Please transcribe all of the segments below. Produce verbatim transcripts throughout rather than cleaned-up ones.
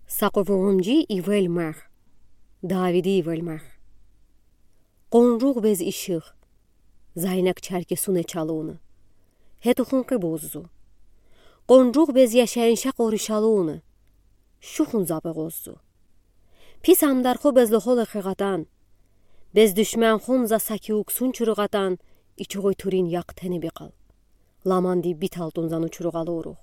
Са къувурунгиди ивел марх, Давиди ивел марх. Къунжуғ без ишиғ, Зайнак чаркесуне чалыуна, хетухун къибуззу. Къунжуғ без яшайынша къоришалыуна, шухун забығуззу. Пис амдархо без лохол экхиғатан, без душманхун за са киуксун чурғатан, ичуғуй турин якъ тенеби къал. Ламанди бит алтун зану чурғалурух.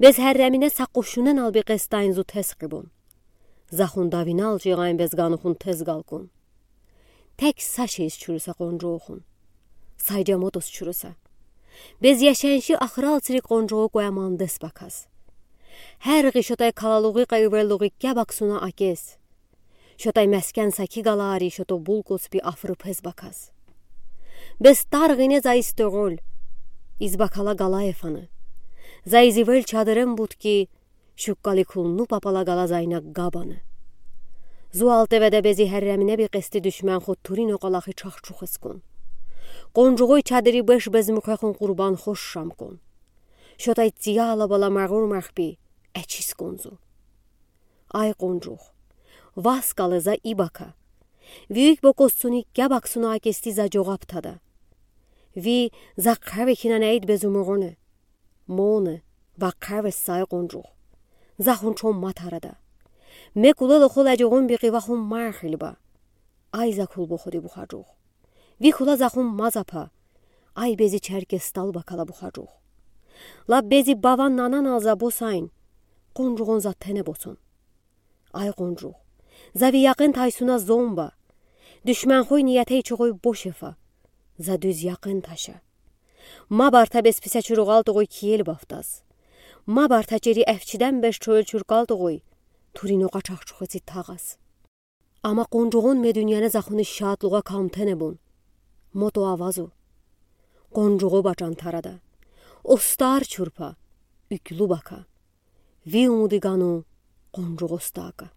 Без херремине са къушунен алби къестайн зу тез къибун. Захун давинал чиғайн без ганухун тез галкун. Тек са шейс чурса къунжуғухун. Сайджа мотос чурса. Без яшайынши ахырал цирик къунжуғу куя мандес бакас. Хер ги шотай калалуғи къайверлуғи кябаксуна акес. Шотай мескен саки галари шото булкус би афры пез бакас. Без тарғине за истороль, из бакала галаефаны. За изивел чадырен будки, шуккали кулну папала гала зайнак габаны. Зуал теведе бези херремине би къести душманхо турин оқалахи чахчух эскун. Къунжуғуй чадыри беш без мухехун къурбан хош шамкун. Шотай цияла бала мағур махби, эчискунзу. Ай къунжуғ, вас кале за ибака. Вийик бокосцуни кябаксуна акести за джоғап тада. Ви за хавехинан эйд безумуғуне. Моне, ва хавес сай къунжуғ. Захун чом матарада. Ме куле лохол аджуғун биқи вахун махилба. Ай за кул боходи бухаджуғ. Ви кула захун мазапа. Ай бези чаркес талба кала бухаджуғ. Ла бези баван нанан алза босайн. Къунжуғун за тене босун. Ай къунжуғ. За ви яқын тайсуна зомба. Душманхой ниятей чуғой бошефа. За дуз яқын таша. Ма барта без писе чурғалтуғой киел бафтас. Ма барта чери эфчиден беш чойл чурғалтуғой. Турин оқа чахчух эци тағас. Ама къунжуғун ме дуняне захуни шатлуға камтене бун. Мото авазу. Къунжуғу бачан тарада. Остар чурпа. Юклю бака. Ви умуди гану къунжуғу остака.